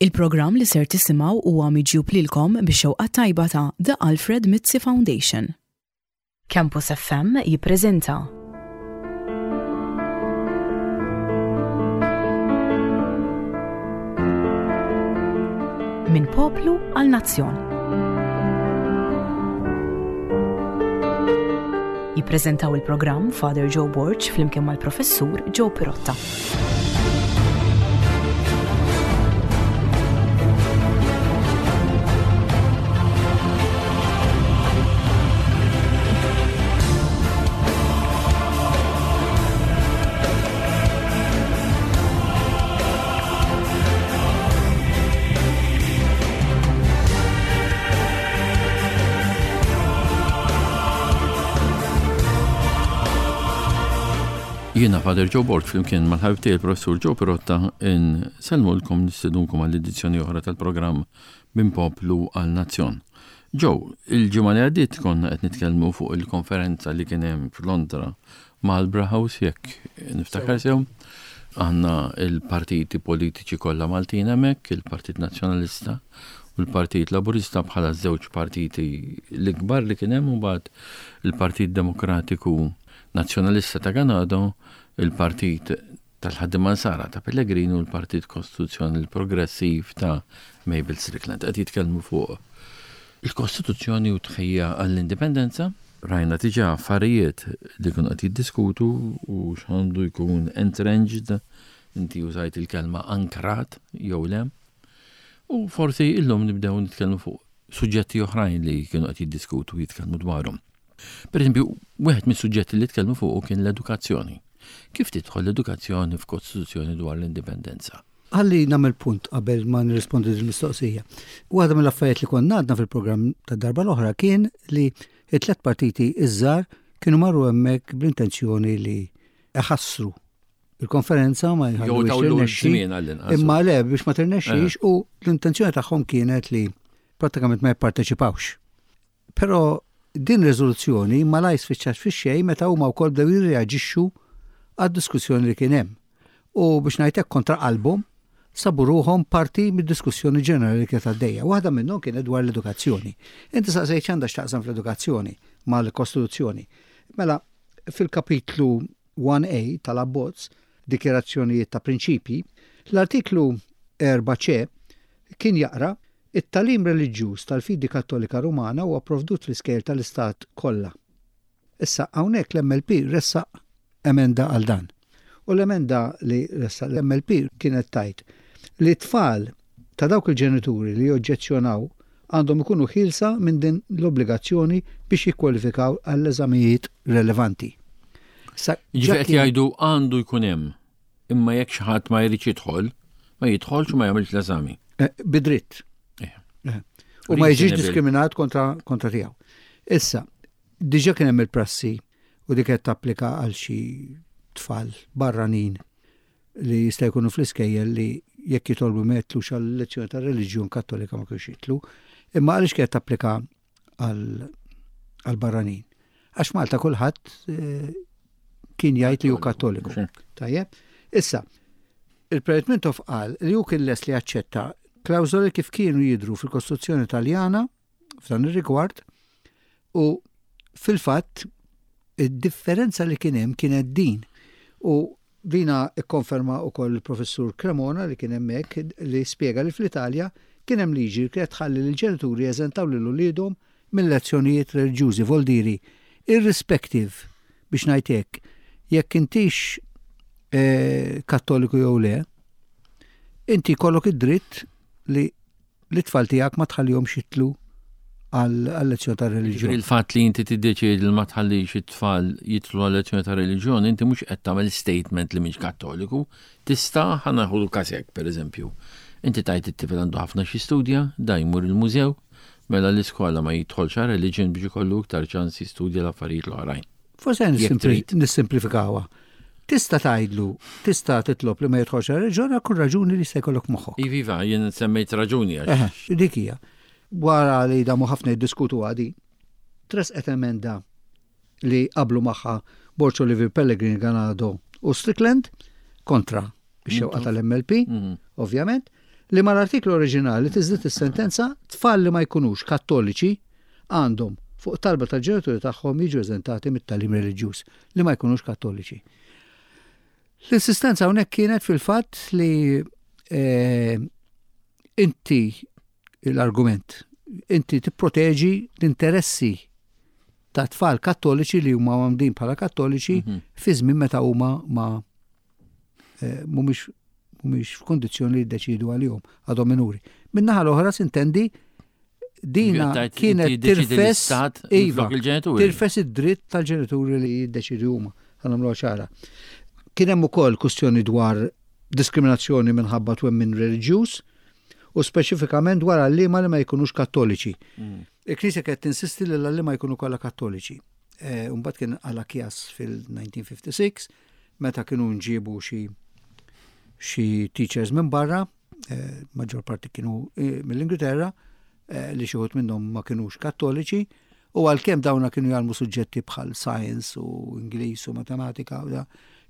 Il-programm li ser tisimgħu huwa miġjub lilkom bix-xewqa tajba ta' The Alfred Mizzi Foundation. Campus FM jippreżenta. Minn poplu għal nazzjon. Jippreżentaw il-programm Father Joe Borg flimkien mal-Professur Joe Pirotta. Jiena Father Joe Borg flimkien mal-ħabib tiegħi il-Professur Joe Pirotta insellmulkom nistedunkom għall edizzjoni oħra tal-programm Minn Poplu għal Nazzjon. Joe, il-ġimgħa li għaddiet konna qed nitkellmu fuq il-konferenza li kien hemm f'Londra Marlborough House jekk niftakar sew. Għandna il-partiti politiċi kollha Maltin hemmhekk, il-Partit Nazzjonalista u l-Partit Laburista bħala żewġ partiti l-ikbar li kien hemm u mbagħad il-Partit Demokratiku Nazzjonalista ta' Ganado, il-Partit tal-Ħaddiema Nsara ta' Pellegrini u l-Partit Kostituzzjonali Progressiv ta' Mabel Strickland. Qed jitkellmu fuq il-Kostituzzjoni u tħejja għall-Indipendenza. Rajna diġà affarijiet li kienu qed jiddiskutu u x'għandu jkun entrenched, inti użajt il-kelma ankrat jew le. U forsi illum nibdew nitkellmu fuq suġġetti oħrajn li kienu qed jiddiskutu u jitkellmu dwarhom. Per eżempju, wieħed mis-suġġetti li tkellmu fuqu kien l-edukazzjoni. Kif tidħol l-edukazzjoni f'Kostituzzjoni dwar l-indipendenza? Ħalli nagħmel punt qabel ma nirrispondi din mistoqsija. Waħda mill-affarijiet li konna għadna fil-programm tad-darba l-oħra kien li t-tlet partiti iż-żgħar kienu marru hemmhekk bl-intenzjoni li iħassru il-konferenza ma jħallux Imma le biex ma tirnexxix eh. u l-intenzjoni tagħhom kienet li prattikament ma jipparteċipawx. Però din riżoluzzjoni malajr spiċċat fix-xejn meta huma wkoll bdew jirreaġixxu għad-diskussjoni li kien hemm. U biex ngħid hekk kontra qalbhom sabu ruħhom parti mid-diskussjoni ġenerali li kienet għaddejja. Waħda minnhom kienet dwar l-edukazzjoni. Inti saqsejt x'għandha x'taqsam fl-edukazzjoni mal-Kostituzzjoni. Mela, fil-kapitlu 1A tal-abbozz, dikjarazzjonijiet ta' prinċipji, l-artiklu 4C kien jaqra It-tagħlim reliġjuż tal-fidi Kattolika Rumana huwa pprovdut fl-iskejjel tal-Istat kollha. Issa, hawnhekk l-MLP ressaq emenda għal dan. U l-emenda li ressaq l-MLP kienet tgħid li t-tfal ta' dawk il-ġenituri li joġġezzjonaw għandhom ikunu ħielsa minn din l-obbligazzjoni biex jikkwalifikaw għall-eżamijiet relevanti. Issa, Jiġifieri qed jgħidu għandu jkun hemm Imma jekk xi ħadd ma jridx jidħol, ma jidħolx u ma jagħmilx l-eżami. Eh, bidritt. Eh. Eh. U ma jiġix diskriminat kontra, kontra tiegħu. Issa, diġa kien hemm il-prassi u dik qed tapplika għal xi tfal barranin li jista' jkunu fl-iskejjel li jekk jitolbu ma jitlux għal lezzjoni ta' reliġjon kattolika ma kienx jitlu. Imma għaliex kienet tapplika għal barranin. Għax Malta kulħadd eh, kien jgħid li hu kattoliku. Tajjeb. Issa, il-President Mintoff qal li hu kien les li jaċċetta klawżoli kif kienu jidru fil-Kostituzzjoni Taljana f'dan ir-rigward u fil-fatt id-differenza li kien hemm kienet din u Dina kkonferma wkoll il-Professur Cremona li kien hemmhekk li spjega li fl-Italja kien hemm liġi li kienet tħalli lill-ġenituri jeżentaw lil uliedhom minn lezzjonijiet reliġjużi, voldiri, irrispective, biex ngħid hekk, jekk intix Kattoliku jew le, inti jkollok id-dritt li Lit-tfal tiegħek ma tħallihomx jidħlu għal-lezzjoni ta' reliġjon. Il-fatt li inti tiddeċiedi li ma tħallix it-tfal jidħlu għal-lezzjoni ta' reliġjon, inti mhux qed tagħmel statement li mhix Kattoliku. Tista' ħa naħu każ hekk, pereżempju. Inti tgħid it-tifel għandu ħafna xi studja, da jmur il-mużew, mela l-iskola ma jidħolx għal religion biex ikollu iktar ċans jistudja l-affarijiet l-oħrajn. Forse nissimplifikawha. Tista' tgħidlu, tista' titlob li ma jidħolx għar-reliġjon għal kull raġuni li jista' jkollok moħħok. Iva, iva, jien semmejt raġuni għax. Dik hija. Wara li damu ħafna jiddiskutu għadi, tresqet emenda li qablu magħha Borg Olivier Pellegrini Ganado u Strickland kontra ix-xewqa tal-MLP, mhm. ovvjament. li mal-artiklu oriġinali tiżdied is-sentenza tfal li ma jkunux Kattoliċi għandhom, fuq talba tal-ġenituri tagħhom, jiġu eżentati mit-tagħlim reliġjuż, li ma jkunux Kattoliċi. L-insistenza hawnhekk kienet fil-fatt li eh, inti l-argument, inti tipproteġi l-interessi ta' tfal kattoliċi li huma għamdin bħala kattoliċi mhm. fi żmien meta huma ma eh, mhumiex mhumiex f'kondizzjoni li jiddeċidu għalihom għadhom minuri. Min-naħa l-oħra sintendi dina kienet tirfes iva, tirfes id-dritt tal-ġenituri li jiddeċidu huma ħanamlu ċara. Kien hemm ukoll kwistjoni dwar diskriminazzjoni minħabba twemmin reliġjuż u speċifikament dwar għalliema li ma jkunux kattoliċi. Mm. Il-Knisja kienet tinsisti li l-għalliema jkunu kollha kattoliċi. Eh, mbagħad kien għala kjas fil-1956 meta kienu nġibu xi xi teachers minn barra, eh, maġġor parti kienu eh, mill-Ingilterra, eh, li xi wħud minnhom ma kinux kattoliċi, u għalkemm dawna kienu jgħallmu suġġetti bħal science u Ingliż u matematika,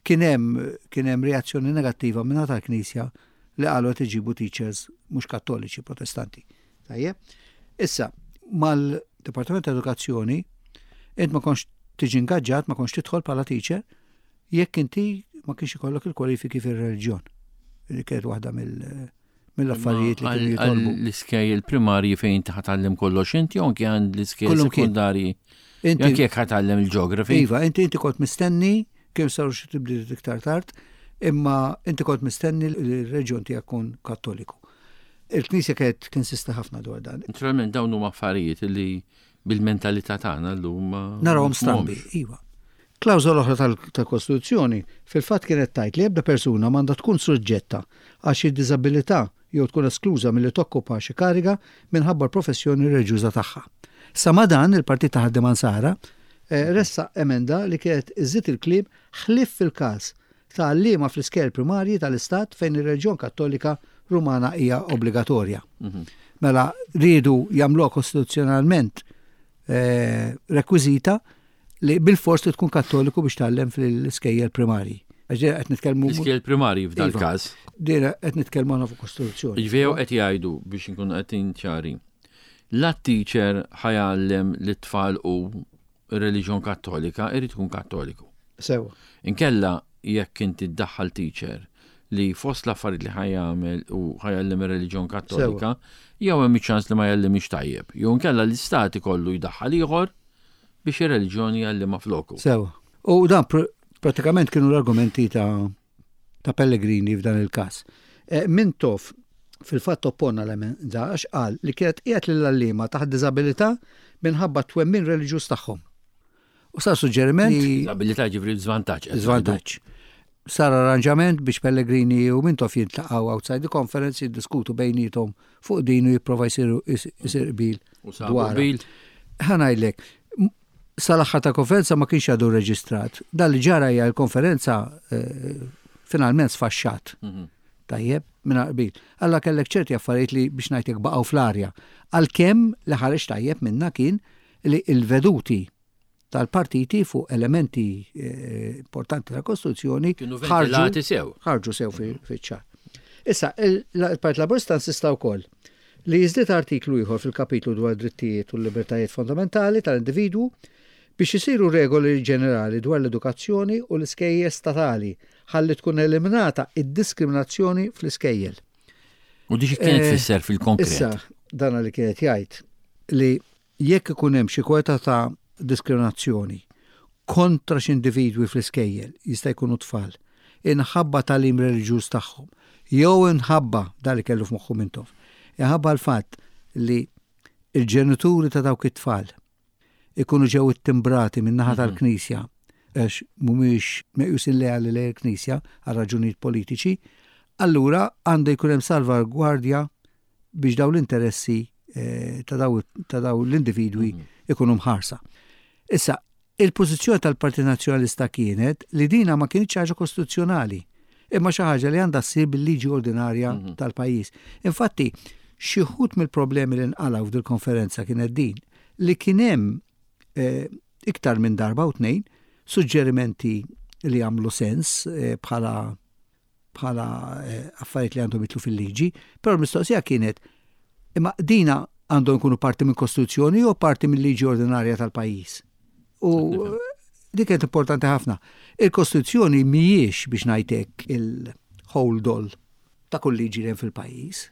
kien hemm kien hemm reazzjoni negattiva minn tal-Knisja li qalu qed iġibu teachers mhux kattoliċi, protestanti. Tajjeb. Issa, mal-Dipartiment ta' Edukazzjoni, int ma kontx tiġi ingaġġat, ma kontx tidħol bħala teacher, jekk inti ma kienx ikollok il-kwalifiki fir-reliġjon. Li kienet waħda mill- mill-affarijiet li kienu jitolbu. L-iskejjel primarji fejn inti ħatgħallem kollox inti jew anke għand l-iskejjel sekondarji. Inti anke jekk ħatgħallem il-ġeografi. Iva, inti inti kont mistenni kemm saru xi tibdiliet iktar tard, imma inti kont mistenni li r-reġjon tiegħek kun Kattoliku. Il-Knisja kienet tinsista ħafna dwar dan. Naturalment dawn huma affarijiet li bil-mentalità tagħna llum narawhom strambi, iva. Klawżola oħra tal-Kostituzzjoni fil-fatt kienet tgħid li ebda persuna m'għandha tkun suġġetta għal xi diżabilità jew tkun eskluża milli tokkupa xi kariga minħabba l-professjoni reliġjuża tagħha. Sa ma' dan, il-Partit ta' Ħaddiema Nsara ressaq emenda li kienet iżżid il-kliem ħlief fil-każ ta' għalliema fl-iskejjel primarji tal-Istat fejn ir-reliġjon Kattolika Rumana hija obbligatorja. Mhm. Mela riedu jagħmluha kostituzzjonalment eh, rekwiżita li bil-fors li tkun kattoliku biex tgħallem fl-iskejjel primarji. Għax qed nitkellmu. L-iskejjel primarji f'dal iva. każ. Dira qed nitkellmu għandna fuq kostituzzjoni. Ġifieri qed jgħidu biex inkunu qed ċari. La teacher ħajallem lit-tfal u ir-reliġjon Kattolika irid ikun Kattoliku. Sewwa. Inkella jekk inti ddaħħal teacher li fost l-affarijiet li ħa jagħmel u ħa jgħallem ir-reliġjon Kattolika, jew hemm iċ-ċans li ma jgħallimhiex tajjeb, jew inkella l-istat ikollu jdaħħal ieħor biex ir-reliġjon jgħallimha floku. Sewwa. U dan pratikament kienu l-argumenti ta' ta' Pellegrini f'dan il-każ. Eh, Mintoff fil-fatt oppona l-emenda għax qal li kienet qiegħed lill-għalliema taħt diżabilità minħabba t-twemmin reliġjuż tagħhom. U sar suġġeriment li. Diżabilità ġifri żvantaġġ. Żvantaġġ. Sar arranġament biex Pellegrini u Mintoff jintlaqgħu outside the conference jiddiskutu bejniethom fuq din u jipprova jsir qbil. Dwar. Ħa ngħidlek, sal-aħħar ta' konferenza ma kienx għadu reġistrat. Dan li ġara hija l-konferenza eh, finalment sfaxxat. Mhm. Tajjeb, minn qbil. Alla kellek ċerti affarijiet li biex ngħidlek baqgħu fl-arja. Għalkemm li ħareġ tajjeb minna kien li il-veduti tal-partiti fuq elementi eh, importanti tal-Kostituzzjoni ħarġu sew. Ħarġu sew fiċ-ċar. Issa, il-Partit Laburista insista wkoll li jiżdied artiklu ieħor fil-kapitlu dwar id-drittijiet u l-libertajiet fondamentali tal-individwu biex isiru regoli ġenerali dwar l-edukazzjoni u l-iskejjel statali ħalli tkun eliminata id-diskriminazzjoni fl-iskejjel. U di xi kienet eh, tfisser fil-konkret? Issa, dana li kienet jgħid li Jekk ikun hemm xi kwota ta' diskriminazzjoni kontra xi individwi fl-iskejjel, jista' jkunu tfal, inħabba tagħlim reliġjuż tagħhom, jew inħabba, dan li kellu f'moħħu Mintoff, inħabba l-fatt li l-ġenituri ta' dawk it-tfal ikunu ġew ittimbrati min-naħa mhm. tal-Knisja għax mhumiex meqjusin leali lejn il-Knisja għal raġunijiet politiċi, allura għandu jkun hemm salvagwardja biex daw l-interessi eh, ta' daw l-individwi mhm. ikunu mħarsa. Issa, il-pożizzjoni tal-Partit Nazzjonalista kienet li dina ma kienx ħaġa kostituzzjonali, imma xi ħaġa li għandha ssir bil-liġi ordinarja mhm. tal-pajjiż. Infatti, xi wħud mill-problemi li nqalgħu f'dil-konferenza kienet din li kien hemm eh, iktar minn darba u tnejn suġġerimenti li għamlu sens eh, bħala bħala eh, affarijiet li għandhom jitlu fil-liġi, però l-mistoqsija kienet imma dina għandhom ikunu parti minn kostituzzjoni jew parti mill liġi ordinarja tal-pajjiż. U dik kienet importanti ħafna. Il-kostituzzjoni mhijiex biex ngħidlek il-hold all ta' kull liġi li hemm fil-pajjiż.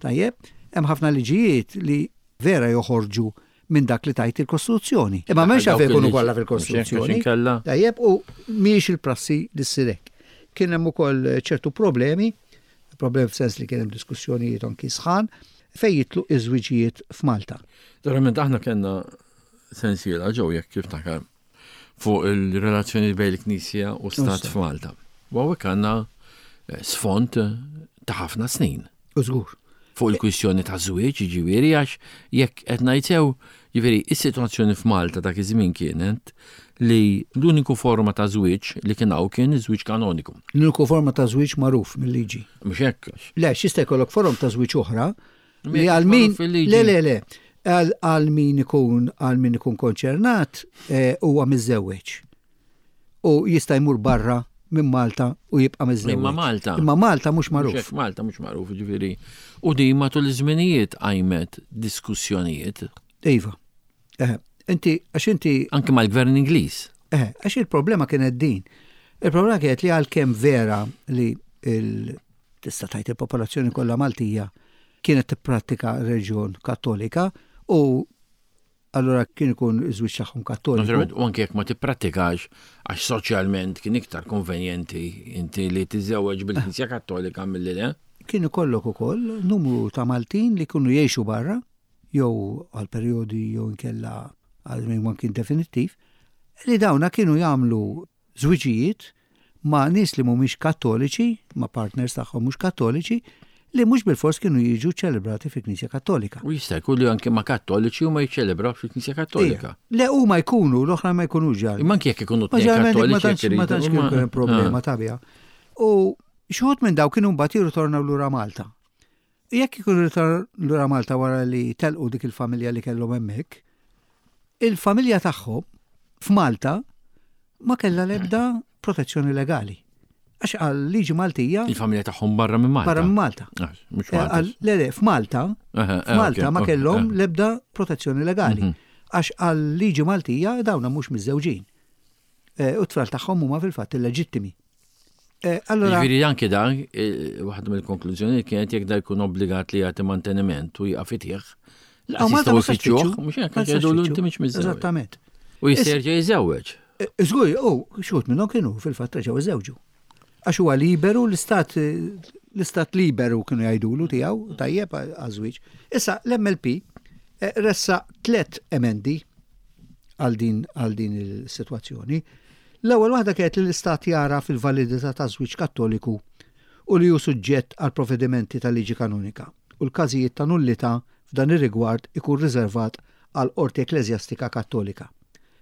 Tajjeb, hemm ħafna liġijiet li vera joħorġu minn dak li tajt il-Kostituzzjoni. Imma m'hemmx għalfejn ikunu kollha fil-Kostituzzjoni. Tajjeb, u mhijiex il-prassi li ssir hekk. Kien hemm ukoll ċertu problemi, problemi f'sens li kien hemm diskussjonijiet anki sħan, fejn jitlu iż-żwiġijiet f'Malta. Verament aħna kellna sensiela ġew jekk kif takar fuq il-relazzjoni bejn il-Knisja u Stat f'Malta. U hawnhekk għandna eh, sfond ta' ħafna snin. U żgur. Fuq il-kwistjoni ta' żwieġ, jiġifieri għax jekk qed ngħid sew, jiġifieri is-sitwazzjoni f'Malta dak iż-żmien kienet li l-uniku forma ta' żwieġ li kien hawn kien iż-żwieġ kanoniku. L-uniku forma ta' żwieġ magħruf mill-liġi. Mhux hekk. Le, x'jista' jkollok forom ta' żwieġ oħra li għal min le le le għal min ikun għal min ikun konċernat eh, huwa miżżewweġ. U jista' jmur barra minn Malta u jibqa' miżżewweġ. Imma Malta. Imma Malta mhux magħruf. Malta mhux magħruf, ġifieri. U din matul iż-żminijiet qajmet diskussjonijiet. Iva. Eh, inti għax inti Anke mal-gvern Ingliż. Eh, għax il-problema kienet din. Il-problema kienet li għalkemm vera li il tista' tgħid il-popolazzjoni kollha Maltija kienet tipprattika reġjon Kattolika u allura kien ikun iż-żwieġ tagħhom Kattoliku. Naturalment, u anke jekk ma tipprattikax għax soċjalment kien iktar konvenjenti inti li tiżżewweġ bil-Knisja Kattolika milli le. Kien ikollok ukoll numru ta' Maltin li kienu jgħixu barra jew għal perjodi jew inkella għal żmien ma kien definittiv, li dawna kienu jagħmlu żwiġijiet ma' nies li mhumiex Kattoliċi, ma' partners tagħhom mhux Kattoliċi, li mhux bilfors kienu jiġu ċċelebrati fil-Knisja Kattolika. U jista' jkun li anke ma' Kattoliċi u ma jiċċelebrawx fil-Knisja Kattolika. Le huma jkunu, l-oħra ma jkunux ġar. Imma anke jekk ikunu tnejn Kattoliċi. Ma tantx kien hemm problema ah. ta' biha. U xi wħud minn daw kienu mbagħad jirritornaw lura Malta. Jekk ikunu ritornaw lura Malta wara li telqu dik il-familja li kellhom hemmhekk, il-familja tagħhom f'Malta ma kellha l-ebda protezzjoni legali. Għax għal liġi Maltija. Il-familja tagħhom barra minn Malta. Barra minn Malta. Ah, mhux eh, Malta. Le, le, f'Malta, eh, f'Malta ma kellhom l-ebda protezzjoni legali. Mhm. Għax għal liġi Maltija dawna mhux miżżewġin. Eh, u t-tfal tagħhom huma fil-fatt illeġittimi. Eh, allora. Ġifieri anke dan, eh, waħda mill-konklużjoni kienet jekk da jkun obbligat li jagħti manteniment u jaqaf itih. Laqas jistgħu jfittxuh, mhux hekk jgħidu inti mhux miżżewweġ. Eżattament. U jista' jerġa' jiżewweġ. Żgur, u xut minnhom kienu fil-fatt reġgħu iżewġu. Għax huwa liberu l-istat l-istat liberu kienu jgħidulu tiegħu tajjeb għaż-żwieġ. Issa l-MLP ressaq tlet emendi għal din għal din il-sitwazzjoni. L-ewwel waħda kienet li l-Istat jagħraf il-validità taż-żwieġ Kattoliku u li hu suġġett għall-provvedimenti tal-liġi kanonika u l-każijiet ta' nullità f'dan ir-rigward ikun riservat għall-qorti ekkleżjastika Kattolika.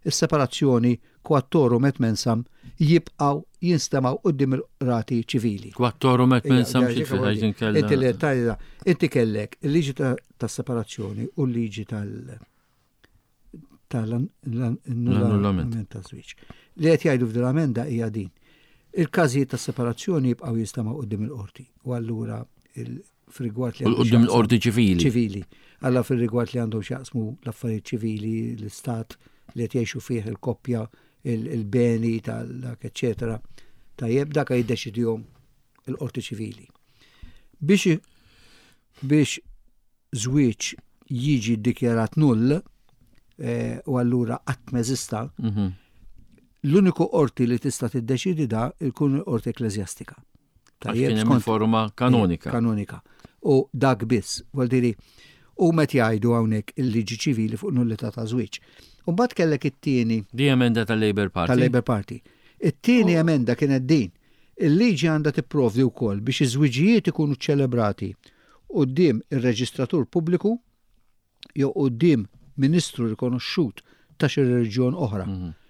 Is-separazzjoni quattorum et mensam jibqgħu jinstemgħu quddiem il-qrati ċivili. Quattorum et mensam xi tfisser? Inti kellek il-liġi tas-separazzjoni u l-liġi tal- tal-annullament ta' żwieġ. Li qed jgħidu f'din l-amenda hija din. Il-każijiet ta' separazzjoni jibqgħu jistamaw quddiem il-qorti u allura fir-rigward li quddiem il-qorti ċivili. Ċivili. Alla fir-rigward li għandhom x'jaqsmu l-affarijiet ċivili, l-istat li qed jgħixu fih il-koppja, il-beni tal-dak, eċetera. Tajjeb, dak jiddeċidihom il-qorti ċivili. Biex biex żwieġ jiġi ddikjarat null eh, u allura qatt m'eżista, mhm. l-uniku qorti li tista' tiddeċidi da jkun il-qorti ekkleżjastika. Tajjeb skont forma kanonika. Kanonika. U dak biss, vuol diri, u met jgħidu hawnhekk il-liġi ċivili fuq nullità ta' żwieġ. U mbagħad kellek it-tieni. Di emenda tal-Labour Party. Tal-Labour Party. It-tieni oh. emenda kienet din. Il-liġi għandha tipprovdi wkoll biex iż-żwiġijiet ikunu ċelebrati quddiem ir-reġistratur pubbliku jew quddiem ministru rikonoxxut ta' xi reliġjon oħra,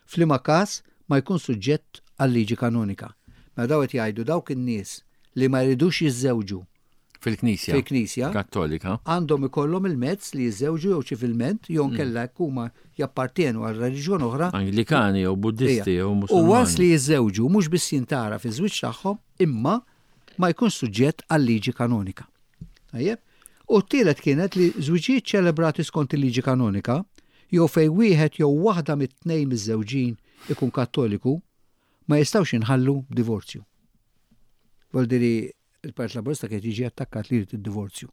f'liema każ ma jkun suġġett għal-liġi kanonika. Mela dawn qed jgħidu dawk in-nies li ma jridux jiżżewġu Fil-Knisja. Fil-Knisja. Kattolika. Għandhom ikollhom il-mezz li jiżżewġu jew ċivilment jew nkella jekk huma jappartjenu għal reliġjon oħra. Anglikani jew Buddisti jew Musulmani. U once li jiżżewġu mhux biss jintgħaraf iż-żwieġ tagħhom imma. ma jkunx suġġett għal-liġi kanonika. Tajjeb? U t-tielet kienet li żwiġijiet ċelebrati skont il-liġi kanonika, jew fejn wieħed jew waħda mit-tnejn miżżewġin ikun Kattoliku, ma jistgħux jinħallu b'divorzju. Vuol dire il-Partit Laburista kien jiġi attakkat li jrid id-divorzju.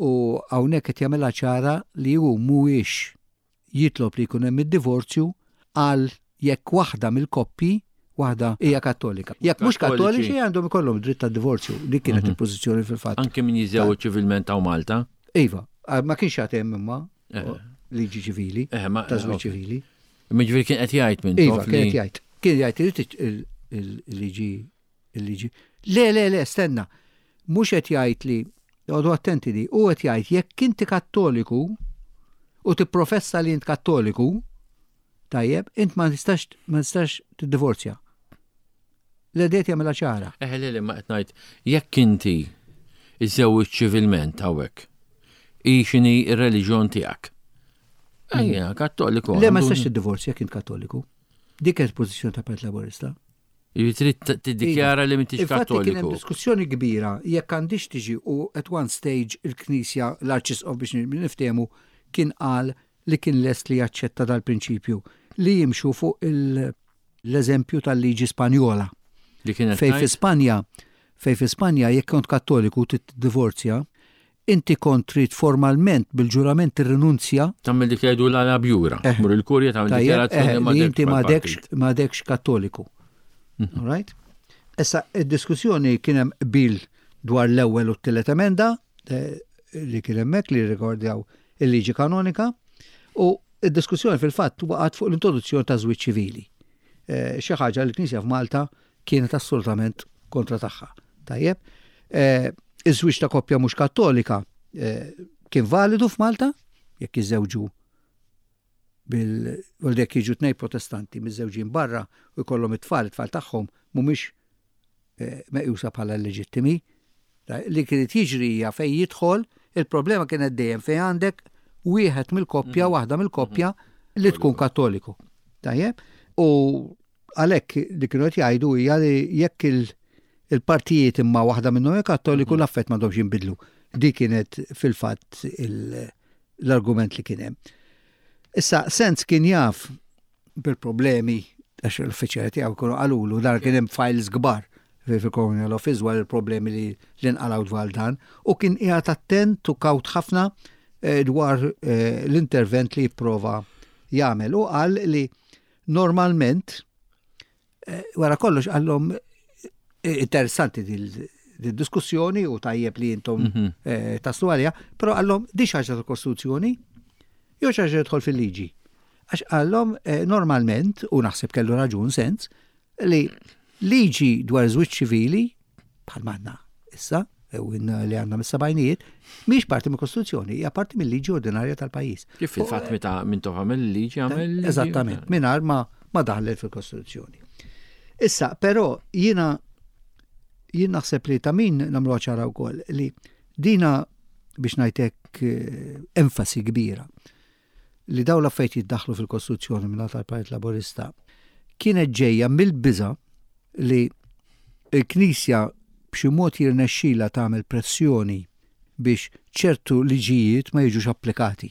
U hawnhekk qed jagħmilha ċara li hu mhuwiex jitlob li jkun hemm id-divorzju għal jekk waħda mill-koppji waħda hija kattolika. Jekk mhux kattoliċi għandhom ikollhom dritt tad-divorzju. Dik kienet mhm. il-pożizzjoni fil-fatt. Anke min jiżewweġ ċivilment hawn Malta? Iva, ma kienx għad hemm imma eh. liġi ċivili, eh, ta' żwieġ ċivili. Imma ġifieri kien qed jgħid minn Iva, kien qed jgħid. Kien jgħid irid il-liġi il-liġi. Le, le, le, stenna. Mhux qed jgħid li għodu attenti li u qed jgħid jekk inti kattoliku u tipprofessa li int kattoliku, tajjeb, int ma tistax ma tistax tiddivorzja. L-edet jagħmilha ċara. Eħe le, le, ma qed ngħid jekk inti iżżewwiġ ċivilment hawnhekk, hi x'inhi r-reliġjon tiegħek. Ejja, kattoliku. Le ma tistax tiddivorzja jekk int kattoliku. Dik kienet pożizzjoni ta' Partit Laburista. Jiġifieri trid tiddikjara li m'intix kattoliku. Kien hemm diskussjoni kbira jekk għandix tiġi u at one stage il-Knisja l-Arċisqof biex niftehmu kien qal li kien lest li jaċċetta dal-prinċipju li jimxu fuq l-eżempju tal-liġi Spanjola. Li kienet Fejn fi Spanja, fejn fi Spanja jekk kont Kattoliku tiddivorzja, inti kont trid formalment bil-ġurament tirrinunzja. Tagħmel dik li jgħidu l bjura. Eh. Mur il-kurja tagħmel dikjarazzjoni eh, li inti m'għadekx m'għadekx Kattoliku. Mhm. All right? Issa id-diskussjoni kien hemm qbil dwar l-ewwel u t-tielet emenda eh, li kien hemmhekk li rrigwardjaw il-liġi kanonika u id-diskussjoni fil-fatt waqgħet fuq l-introduzzjoni ta' żwieġ ċivili. Eh, xi ħaġa li l-Knisja f'Malta kienet assolutament kontra tagħha. Tajjeb, eh, iż-żwieġ ta' koppja mhux kattolika eh, kien validu f'Malta jekk jiżżewġu bil jekk jiġu tnej protestanti miżżewġin barra u jkollhom it-tfal, it-tfal tagħhom mhumiex eh, meqjusa bħala leġittimi. Li kienet jiġri hija fejn jidħol, il-problema kienet dejjem fejn għandek wieħed mill-koppja, mhm. waħda mill-koppja mhm. li tkun kattoliku. Tajjeb? U għalhekk li kienu qed jgħidu hija li jekk il-partijiet imma waħda minnhom hija kattoliku mhm. l-affett m'għandhomx jinbidlu. Dik kienet fil-fatt l-argument li kien hemm. Issa Sens kien jaf bil-problemi għax l-uffiċjali tiegħu kienu qalulu dar kien hemm files kbar fil-Colonial Office dwar il-problemi li nqalgħu dwar dan u kien qiegħed attent u kawt ħafna eh, dwar eh, l-intervent li jipprova jagħmel u qal li normalment eh, wara kollox qallhom interessanti dil-diskussjoni u tajjeb li intom mhm. taslu għalija, però qallhom di xi ħaġa tal-Kostituzzjoni jew xi ħaġa tidħol fil-liġi. Għax qallhom eh, normalment, u naħseb kellu raġun sens, li liġi dwar żwieġ ċivili, bħal manna issa, u li għandna mis-sebgħinijiet, mhix parti mill-Kostituzzjoni, hija parti mill-liġi ordinarja tal-pajjiż. Kif fil-fatt meta minn tof għamel liġi għamel. Eżattament, mingħajr ma ma daħlet fil-Kostituzzjoni. Issa, però jiena jien naħseb li ta' min nagħmlu ċara wkoll li dina biex ngħidlek eh, enfasi kbira li dawn l-affarijiet jiddaħħlu fil-Kostituzzjoni minn tal-Partit Laburista kienet ġejja mill-biża' li l-Knisja b'xi mod jirnexxilha tagħmel pressjoni biex ċertu liġijiet ma jiġux applikati.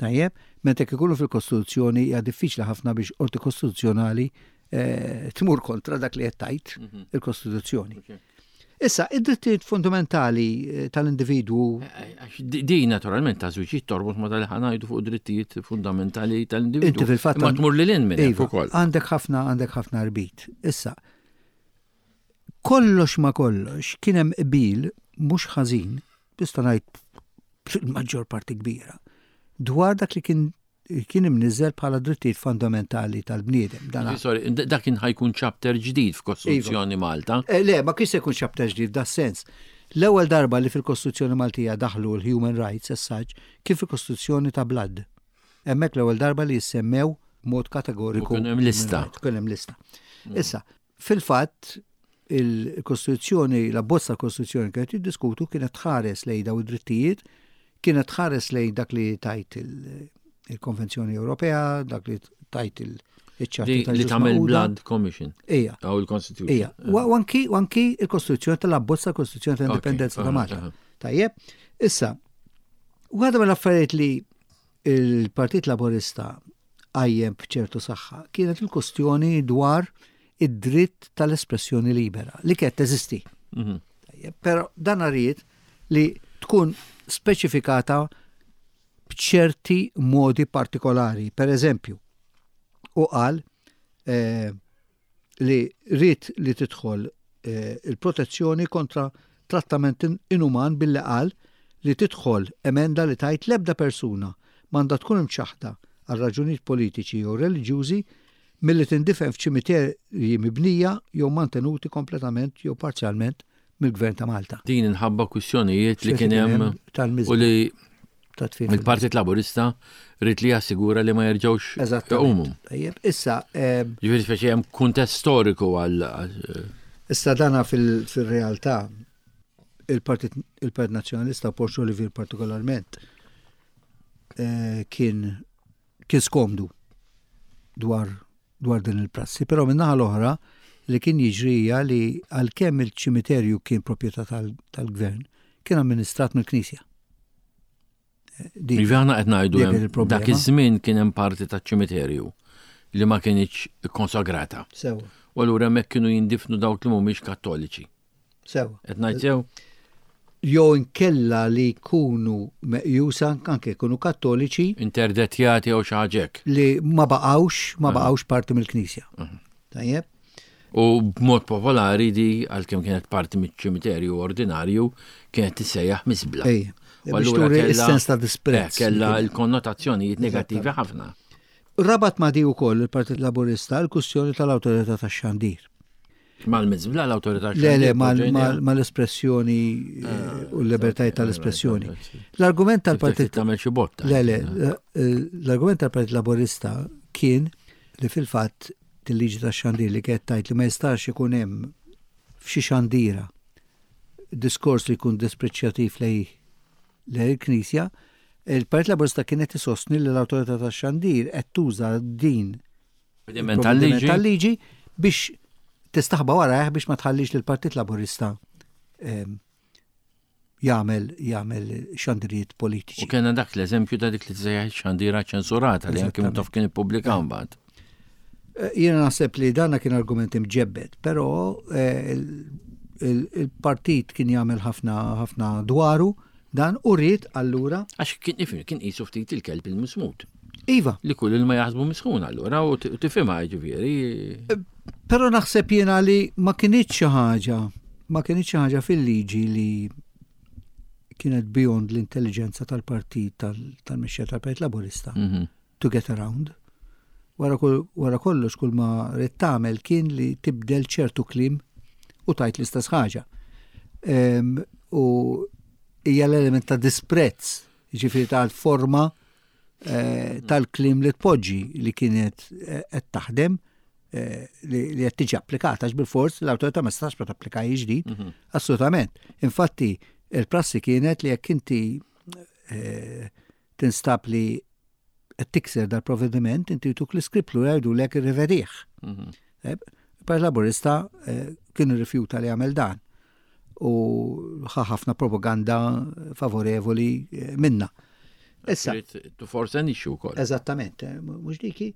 Tajjeb, meta jekk ikunu fil-Kostituzzjoni hija diffiċli ħafna biex qorti kostituzzjonali eh, tmur kontra dak li qed tgħid mhm. il-Kostituzzjoni. Issa, id-drittijiet fundamentali eh, tal-individwu. Eh, eh, di naturalment ta' żwiġijiet torbot ma tal ħanajdu fuq drittijiet fundamentali tal-individwu. Inti fil-fatt. Ma tmur lil hinn minn iva, ukoll. Għandek ħafna għandek ħafna rbit. Issa, kollox ma kollox kien hemm qbil mhux ħażin, tista' ngħid fil-maġġor parti kbira, dwar dak li kien kien imniżżel bħala drittijiet fundamentali tal-bniedem. Sorry, dak kien ħajkun chapter ġdid f'Kostituzzjoni iva. Malta. Eh, le, ma kienx se jkun chapter ġdid da sens. L-ewwel darba li fil-Kostituzzjoni Maltija daħlu l-Human Rights as such kien fil-Kostituzzjoni ta' Blood. Hemmhekk l-ewwel darba li jissemmew mod kategoriku. Kien hemm lista. Kien hemm lista. Mm. Issa, fil-fatt il-Kostituzzjoni, l-abbozz tal-Kostituzzjoni kienet jiddiskutu kienet tħares lejn daw id-drittijiet, kienet tħares lejn dak li tajt il-Konvenzjoni Ewropea, dak li tajt iċ-ċarta Li tagħmel Blood Commission. Ija. Aw il-Constitution. Ija. U anki u anki il-Kostituzzjoni tal-abbozz tal-Kostituzzjoni tal-Indipendenza ta' Malta. Tajjeb, issa, waħda mill-affarijiet li il-Partit Laburista qajjem b'ċertu saħħa kienet il-kustjoni dwar id-dritt tal-espressjoni libera li kienet teżisti. Mhm. Però dan ried li tkun speċifikata b'ċerti modi partikolari. Per eżempju, u qal eh, li ried li tidħol eh, il-protezzjoni kontra trattament inuman billi qal li tidħol emenda li tgħid l-ebda persuna m'għandha tkun imċaħħda għal raġunijiet politiċi jew reliġjużi milli tindifen f'ċimiterji mibnija jew mantenuti kompletament jew parzjalment mill-Gvern ta' Malta. Din inħabba kwistjonijiet li kien hemm u li il-Partit Laburista rrid li jassigura li ma jerġgħux iqumu. Tajjeb, issa. Ġifieri speċi hemm kuntest storiku għal. Issa dana fil-realtà il-Partit il-Partit Nazzjonalista Porsche Olivier partikolarment eh, kien kien skomdu dwar dwar din il-prassi, però min-naħa l-oħra li kien jiġri hija li għalkemm il-ċimiterju kien proprjetà tal-gvern, kien amministrat mill-Knisja. Iva aħna qed ngħidu dak iż-żmien kien hemm parti taċ-ċimiterju li ma kinitx ikkonsagrata. Sewa. U allura hemmhekk kienu jindifnu dawk li mhumiex Kattoliċi. Sewa. Qed ngħid sew? Jew inkella li jkunu meqjusa anke jkunu kattoliċi. Interdettjati jew xi ħaġa hekk. Li ma baqgħux, ma baqgħux parti mill-Knisja. Tajjeb? U b'mod popolari di għalkemm kienet parti miċ-ċimiterju ordinarju kienet tissejjaħ miżbla. Ej. U allura is-sens ta' disprezz. Eh, kella l-konnotazzjonijiet negattivi ħafna. Rabat ma' di wkoll il-Partit Laburista l-kwistjoni tal-Awtorità tax-Xandir. Mal-mizbla l-autorità Le, le, mal-espressjoni eh, ah, u l-libertajiet tal-espressjoni. L-argument tal-Partit. Tagħmel xi botta. Le, le, eh, l-argument tal-Partit Laburista kien li fil-fatt til-liġi tax-xandir li kienet tajt li ma jistax ikun hemm f'xi xandira diskors li jkun dispreċjattiv lej lej il-Knisja, il-Partit Laburista kienet isostni li l-Awtorità tax-Xandir qed tuża din Provvediment tal-liġi. Tal-liġi biex tistaħba warajh biex ma tħallix lill partit Laburista ehm, jagħmel jagħmel xandirijiet politiċi. U kellna dak l-eżempju ta' dik li tsejjaħ xandira ċensurata li anke taf kien ippubblika mbagħad. Eh, jiena naħseb li dana kien argument imġebbed, però eh, il-partit kien jagħmel ħafna ħafna dwaru Dan u ried allura. Għax kien ifhem kien qisu ftit il-kelb il-mismut. Iva. Li kull ilma jaħsbu misħun allura u tifhimha ġifieri. Eh, però naħseb jiena li ma kinitx xi ħaġa, ma kinitx xi ħaġa fil-liġi li kienet beyond l-intelligenza tal-partit tal-mexxija tal-Partit Laburista. Mhm. To get around. Wara, wara kollox kull ma rrid tagħmel kien li tibdel ċertu kliem u tajt l-istess ħaġa. Um, u hija l-element ta' disprezz, ġifieri tal-forma eh, tal-kliem li tpoġġi li kienet eh, qed taħdem eh, li qed tiġi applikata għax bil-fors l-awtorità ma stax ma tapplika ġdid. Mhm. Assolutament. Infatti, il-prassi kienet li jekk inti tinstab li qed tikser dal-provvediment, inti jtuk l-iskript lura jgħidulek irrivedih. Mhm. Eh, Il-Partit Laburista eh, kien irrifjuta li jagħmel dan u ħa ħafna propaganda favorevoli eh, minna. Issa. To force an issue wkoll. Eżattament, mhux diki.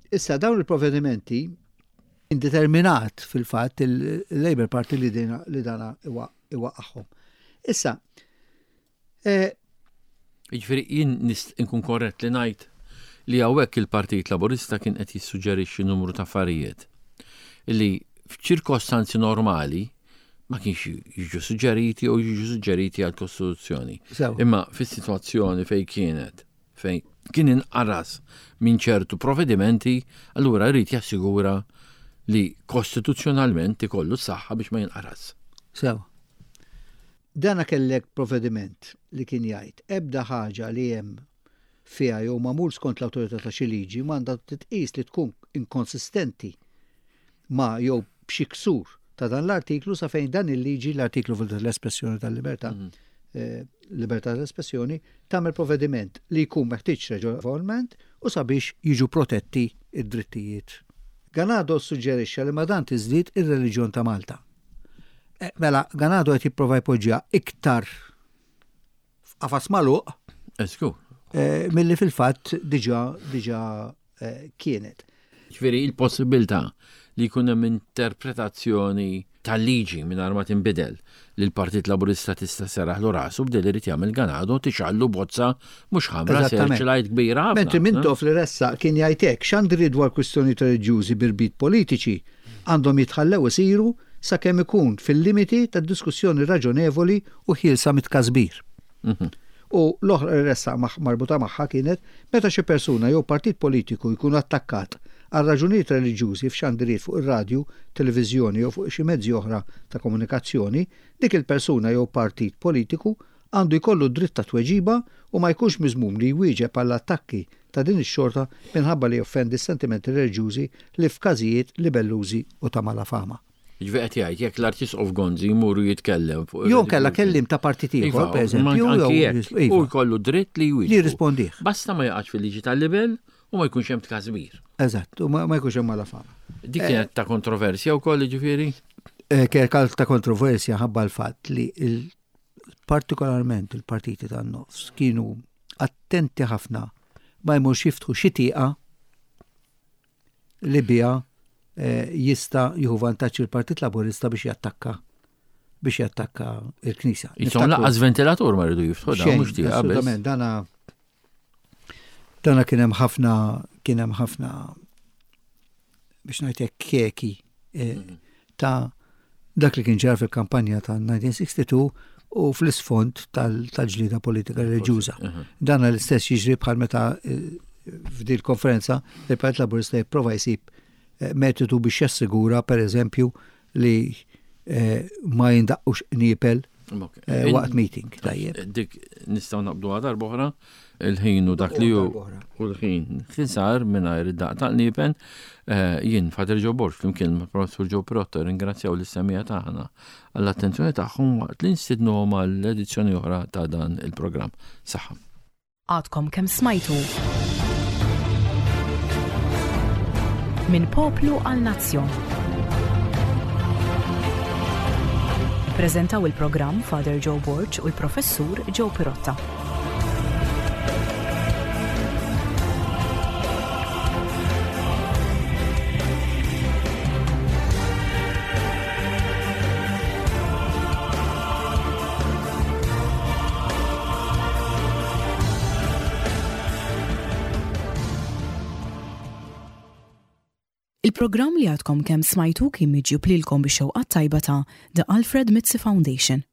Issa dawn il-provvedimenti indeterminat fil-fatt il-Labour Party li dana iwaqqagħhom. Issa, Eh, Jiġifieri jien nkun korrett li ngħid li hawnhekk il-Partit Laburista kien qed jissuġġerixxi numru ta' affarijiet li f'ċirkostanzi normali ma kienx jiġu suġġeriti u jiġu suġġeriti għal kostituzzjoni. Imma fis-sitwazzjoni fejn kienet, fejn kien inqaras minn ċertu provvedimenti, allura jrid jassigura li kostituzzjonalment ikollu s-saħħa biex ma jinqaras. Sew. Dana kellek provvediment li kien jgħid, ebda ħaġa li hemm fiha jew magħmul skont l-awtorità ta' xi liġi m'għandha titqies li tkun inkonsistenti ma' jew b'xi ksur ta' dan l-artiklu sa fejn dan il-liġi, l-artiklu fil l-espressjoni tal-libertà, mhm. eh, libertà ta' espressjoni tagħmel provvediment li jkun meħtieġ reġonevolment u sabiex jiġu protetti d-drittijiet. Ganado ssuġġerixxa li ma' dan tiżdied ir-reliġjon ta' Malta. Eh, mela, Ganado qed jipprova jpoġġiha iktar f'qafas magħluq. Esku. Eh, milli fil-fatt diġà diġà eh, kienet. Ġifieri il-possibilità li jkun hemm interpretazzjoni tal-liġi mingħajr ma tinbidel li l-Partit Laburista tista' seraħlu rasu b'del irid jagħmel ganado tixgħallu bozza mhux ħamra searchlight kbira ħafna. Mentri Mintoff li ressaq kien jgħid hekk, xandri dwar kwistjonijiet reliġjużi bi rbit politiċi għandhom jitħallew isiru sakemm ikun fil-limiti ta' diskussjoni raġonevoli u ħielsa mit-tkasbir. Mhm. U l-oħra li ressaq marbuta magħha kienet meta xi persuna jew partit politiku jkun attakkat għal raġunijiet reliġjużi f'xandiriet fuq ir-radju, televiżjoni jew fuq xi mezzi oħra ta' komunikazzjoni, dik il-persuna jew partit politiku għandu jkollu d-dritt ta' tweġiba u ma jkunx miżmum li jwieġeb għall-attakki ta' din ix-xorta minħabba li joffendi s-sentimenti reliġjużi li f'każijiet libellużi u ta' malafama. Jiġifieri qed jgħid jekk l-Arċisqof Gonzi jmur u jitkellem fuq. Jew kellha kellim ta' partit ieħor, iva, pereżempju. Anki jekk. Iva. U jkollu dritt li jwieġeb. Li jirrispondih. Basta ma jaqax fil-liġi tal-libel u ma jkunx hemm tkasbir. Eżatt, u ma jkunx hemm malafama. Dik kienet ta' kontroversja wkoll jiġifieri? Eh, kienet ta' kontroversja ħabba l-fatt li partikolarment il-partiti tan-nofs kienu attenti ħafna ma jmurx jiftħu xi tieqa li biha eh, jista' jieħu vantaġġ il-Partit Laburista biex jattakka biex jattakka il-Knisja. Jisom laqqas ventilatur ma rridu jiftħu da mhux tiegħek. Assolutament, dana dana kien hemm ħafna kien hemm ħafna biex ngħidlek keki eh, mhm. ta' dak li kien ġara fil-kampanja ta' 1962 u fl-isfond tal-ġlida politika reliġjuża. Mhm. Dan l-istess jiġri bħal meta eh, f'dil konferenza il-Partit Laburista jipprova jsib eh, metodu biex jassigura per eżempju li eh, ma jindaqqux qniepel eh, waqt meeting. Tajjeb. Dik nistgħu naqbdu għadar boħra il-ħin u dak li hu u l-ħin ħisar mingħajr id-daq ta' qniepen eh, jien Fader Joe Borg flimkien ma' Professur Joe Pirotto ringrazzjaw lis-semija tagħna għall-attenzjoni tagħhom waqt li nstidnuhom għall-edizzjoni oħra ta' dan il-programm. Saħħa. Għadkom kemm smajtu Minn poplu għal nazzjon. Ippreżentaw il-programm Father Joe Borg u l-Professur Joe Pirotta. Il-programm li għadkom kemm smajtu kien miġjub lilkom bix-xewqat tajba ta' The Alfred Mizzi Foundation.